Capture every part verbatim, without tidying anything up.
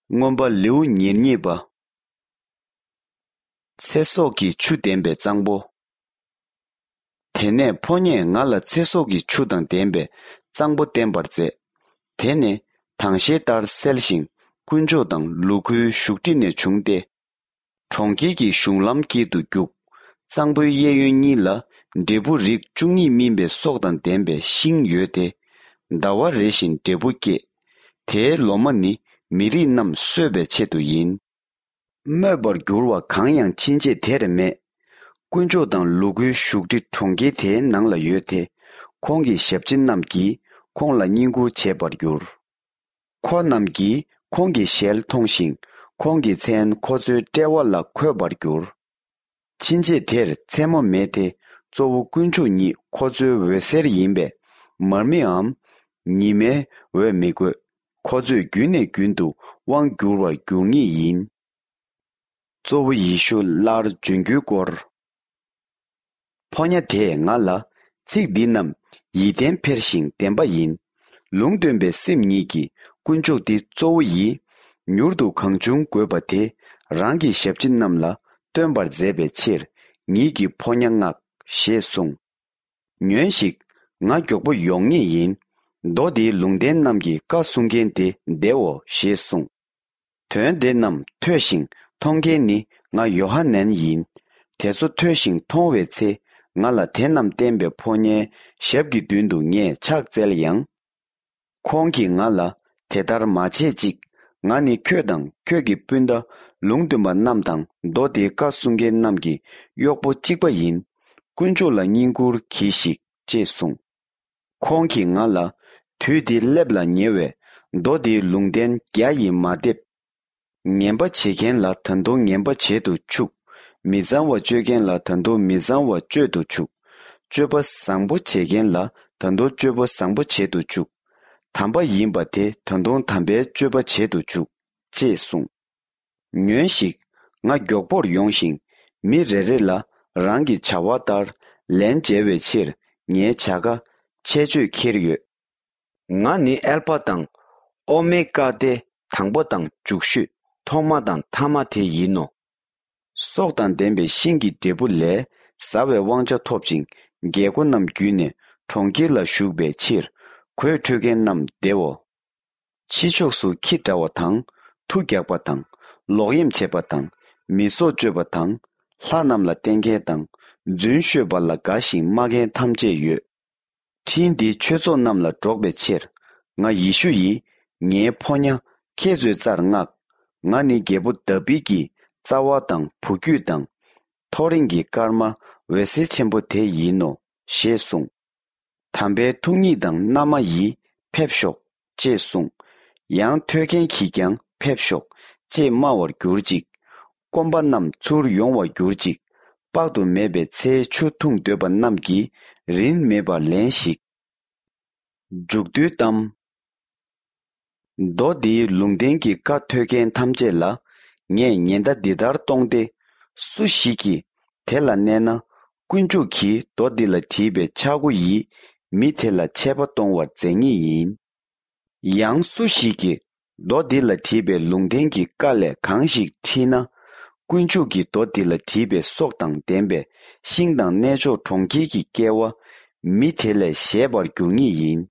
མངོན་པ་ལེའུ་ཉེར་གཉིས་པ། ཚེ་སྲོག་གི་ཆུ་ལྡན་པའི་གཙང་པོ། དེ་ནས་ཕོ་ཉས་ང་ལ་ཚེ་སྲོག་གི་ཆུ་དང་ལྡན་པའི་གཙང་པོ་བསྟན་པར་མཛད། དེ་ནི་དྭངས་ཤེལ་ལྟར་གསལ་ཞིང་དཀོན་མཆོག་དང་ལུ་གུའི་བཞུགས་ཁྲི་ནས་བྱུང་སྟེ། གྲོང་ཁྱེར་གྱི་གཞུང་ལམ་དཀྱིལ་དུ་རྒྱུག། གཙང་པོའི་གཡས་གཡོན་གཉིས་ལ་འབྲས་བུ་རིགས་བཅུ་གཉིས་སྨིན་པའི་སྲོག་དང་ལྡན་པའི་ཤིང་ཡོད་དེ། ཟླ་བ་རེ་བཞིན་འབྲས་བུ་སྐྱེད། དེའི་ལོ་མ་ནི་མི་རིགས་རྣམས་གསོད་པའི་ཆེད་དུ་ཡིན། སྨོད་པར་འགྱུར་བ་གང་ཡང་ཕྱིན་ཆད་དེར་མེད། དཀོན་མཆོག་དང་ལུ་གུའི་བཞུགས་ཁྲི་གྲོང་ཁྱེར་དེའི་ནང་ལ་ཡོད་དེ། ཁོང་གི་ཞབས་ཕྱི་རྣམས་ཀྱིས་ཁོང་ལ་བསྙེན་བཀུར་བྱེད་པར་འགྱུར། ཁོ་རྣམས་ཀྱིས་ཁོང་གི་ཞལ་མཐོང་ཞིང་། ཁོང་གི་མཚན་ཁོ་ཚོའི་དཔྲལ་བ་ལ་འཁོད་པར་འགྱུར། ཕྱིན་ཆད་དེར་མཚན་མོ་མེད་དེ། གཙོ་བོ་དཀོན་མཆོག་ཉིད་ཁོ་ཚོའི་འོད་ཟེར་ཡིན་པས། མར་མེའམ་ཉི་མའི་འོད་མི་དགོས། ཁོ་ཚོས་རྒྱུན་ནས་རྒྱུན་དུ་དབང་བསྒྱུར་བར་འགྱུར་ངེས་ཡིན། གཙོ་བོ་ཡེ་ཤུ་སླར་འབྱོན་རྒྱུའི་སྐོར། ཕོ་ཉ་དེས་ང་ལ། ཚིག་འདི་རྣམས་ཡིད་བརྟན་འཕེར་ཞིང་བདེན་པ་ཡིན། ལུང་སྟོན་པའི་སེམས་ཉིད་ཀྱིས་དཀོན་མཆོག་འདི་གཙོ་བོ་ཡིས། མྱུར་དུ་གང་བྱུང་དགོས་པ་དེ་རང་གི་ཞབས་ཕྱི་རྣམས་ལ་སྟོན་པར་མཛད་པའི་ཕྱིར། ཉིད་ཀྱི་ཕོ་ཉ་མངགས། ཞེས་གསུངས། ཉོན་ཞིག་ང་མགྱོགས་པོ་ཡོང་ངེས་ཡིན། མདོ་འདིའི་ལུང་བསྟན་རྣམས་ཀྱི་བཀའ་སྲུང་མཁན་དེ་བདེའོ། ཞེས་གསུངས། དོན་དེ་རྣམས་ཐོས་ཤིང་མཐོང་མཁན་ནི་ང་ཡོ་ཧ་ནན་ཡིན། དེ་ཚོ་ཐོས་ཤིང་མཐོང་བའི་ཚེ། ང་ལ་དེ་རྣམས་བསྟན་པའི་ཕོ་ཉའི་ཞབས་ཀྱི་མདུན་དུ་ངས་ཕྱག་བཙལ་ཡང་། ཁོང་གིས་ང་ལ། དེ་ལྟར་མ་བྱེད་ཅིག་ང་ནི་ཁྱོད་དང་ཁྱོད་ཀྱི་སྤུན་ཟླ། ལུང་སྟོན་པ་རྣམས་དང་མདོ་སྡེའི་བཀའ་སྲུང་མཁན་རྣམས་ཀྱི་གཡོག་པོ་གཅིག་པ་ཡིན། དཀོན་མཆོག་ལ་བསྙེན་བཀུར་གྱིས་ཤིག་ཅེས་གསུངས། ཁོང་གིས་ང་ལ། དུས་འདི་སླེབས་ལ་ཉེ་བས། མདོ་འདིའི་ལུང་བསྟན་རྒྱ་ཡིས་མ་འདེབས། ངན་པ་བྱེད་མཁན་ལ་ད་དུང་ངན་པ་བྱེད་དུ་ཆུག་མི་གཙང་བ་སྤྱོད་མཁན་ལ་ད་དུང་མི་གཙང་བ་སྤྱོད་དུ་ཆུག་སྤྱོད་པ་བཟང་པོ་བྱེད་མཁན་ལ་ད་དུང་སྤྱོད་པ་བཟང་པོ་བྱེད་དུ་ཆུག་དམ་པ་ཡིན་པ་དེ་ད་དུང་དམ་པའི་སྤྱོད་པ་བྱེད་དུ་ཆུག་ཅེས་གསུངས། ཉོན་ཞིག་ང་མགྱོགས་པོར་ཡོང་ཞིང་། མི་རེ་རེ་ལ་རང་གི་བྱ་བ་ལྟར་ལན་འཇལ་བའི་ཕྱིར། ངའི་བྱ་དགའ་ཆད་གཅོད་འཁྱེར་ཡོད། ང་ནི་ཨལ་ཕ་དང་ཨོ་མེ་ཀ་སྟེ། དང་པོ་དང་མཇུག་ཤོས། ཐོག་མ་དང་མཐའ་མ་དེ་ཡིན་ནོ། སྲོག་དང་ལྡན་པའི་ཤིང་གི་འབྲས་བུ་ལས། ཟ་བའི་དབང་ཆ་ཐོབ་ཅིང་། རྒྱལ་སྒོ་རྣམས་བརྒྱུད་ནས་གྲོང་ཁྱེར་ལ་ཞུགས་པའི་ཕྱིར། གོས་འཁྲུད་མཁན་རྣམས་བདེའོ། ཕྱི་ཕྱོགས་སུ་ཁྱི་འདྲ་བ་དང་། མཐུ་རྒྱག་པ་དང་། ལོག་གཡེམ་བྱེད་པ་དང་། མི་སྲོག་གཅོད་པ་དང་། ལྷ་རྣམས་ལ་བརྟེན་མཁན་དང་། རྫུན་ཤོད་པ་ལ་དགའ་ཞིང་སྨྲ་མཁན་ཐམས་ཅད་ཡོད། འཕྲིན་འདི་ཆོས་ཚོགས་རྣམས་ལ་སྒྲོག་པའི་ཕྱིར། ང་ཡེ་ཤུ་ཡིས། ངའི་ཕོ་ཉ་ཁྱེད་ཚོའི་རྩར་མངགས། ང་ནི་རྒྱལ་པོ་དཱ་བིད་ཀྱི་རྩ་བ་དང་བུ་རྒྱུད་དང་། ཐོ་རེངས་ཀྱི་སྐར་མ་འོད་ཟེར་ཆེན་པོ་དེ་ཡིན་ནོ། ཞེས་གསུངས། དམ་པའི་ཐུགས་ཉིད་དང་མནའ་མ་ཡིས། ཕེབས་ཤོག་ཅེས་གསུངས། ཡང་ཐོས་མཁན་གྱིས་ཀྱང་ཕེབས་ཤོག་ཅེས་སྨྲ་བར་གྱུར་ཅིག་སྐོམ་པ་རྣམས་ཚུར་ཡོང་བར་གྱུར་ཅིག་དཔག་ཏུ་མེད་པའི་ཚེའི་ཆུ་འཐུང་འདོད་པ་རྣམས་ཀྱིས་རིན་མེད་པར་ལེན་ཞིག་མཇུག་བསྡུའི་གཏམ། མདོ་འདིའི་ལུང་བསྟན་གྱི་བཀའ་ཐོས་མཁན་ཐམས་ཅད་ལ། ངས་ཉེན་བརྡ་འདི་ལྟར་གཏོང་སྟེ། སུ་ཞིག་གིས་དེ་ལ་གནས་ན། དཀོན་མཆོག་གིས་མདོ་འདི་ལ་བྲིས་པའི་ཆག་སྒོ་ཡིས་མི་དེ་ལ་ཆད་པ་གཏོང་བར་མཛད་ངེས་ཡིན། ཡང་སུ་ཞིག་གིས་མདོ་འདི་ལ་བྲིས་པའི་ལུང་བསྟན་གྱི་བཀའ་ལས་གང་ཞིག་ཕྲིས་ན། དཀོན་མཆོག་གི་མདོ་འདི་ལ་བྲིས་པའི་སྲོག་དང་ལྡན་པའི་ཤིང་དང་གནས་མཆོག་གྲོང་ཁྱེར་གྱི་སྐལ་བ་མི་དེ་ལས་བཞེས་པར་འགྱུར་ངེས་ཡིན།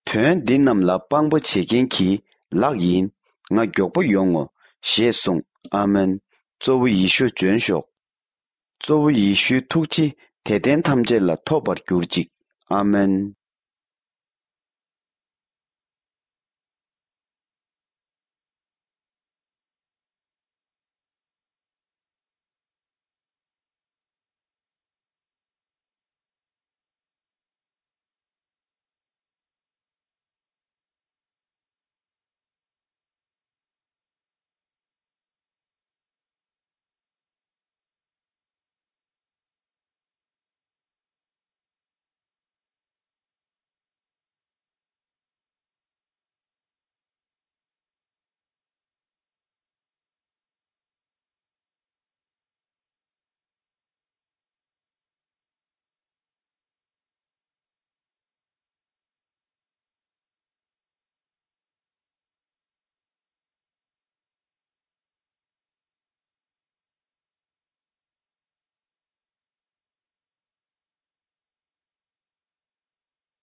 དོན་འདི་རྣམས་ལ་དཔང་པོ་བྱེད་མཁན་གྱི་ལག་ཡིན། ང་མགྱོགས་པོ་ཡོང་ངོ་། ཞེས་གསུངས། ཨ་མེན། གཙོ་བོ་ཡེ་ཤུ་འབྱོན་ཤོག་གཙོ་བོ་ཡེ་ཤུའི་ཐུགས་རྗེ་དད་ལྡན་ཐམས་ཅད་ལ་ཐོབ་པར་གྱུར་ཅིག་ཨ་མེན།